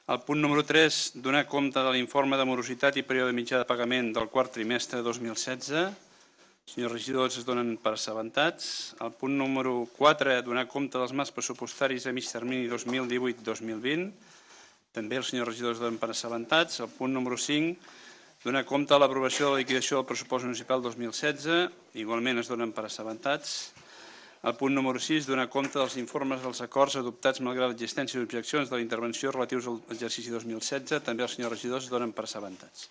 El punt número 3, donar compte de l'informe de morositat i període mitjà de pagament del quart trimestre de 2016. Senyors regidors, es donen per assabentats. El punt número 4, donar compte dels marcs pressupostaris a mig termini 2018-2020. També els senyors regidors es donen per assabentats. El punt número 5, donar compte de l'aprovació de la liquidació del pressupost municipal 2016. Igualment es donen per assabentats. El punt número 6, donar compte dels informes dels acords adoptats malgrat l'existència d'objeccions de la intervenció relatius a l'exercici 2016. També els senyors regidors es donen per assabentats.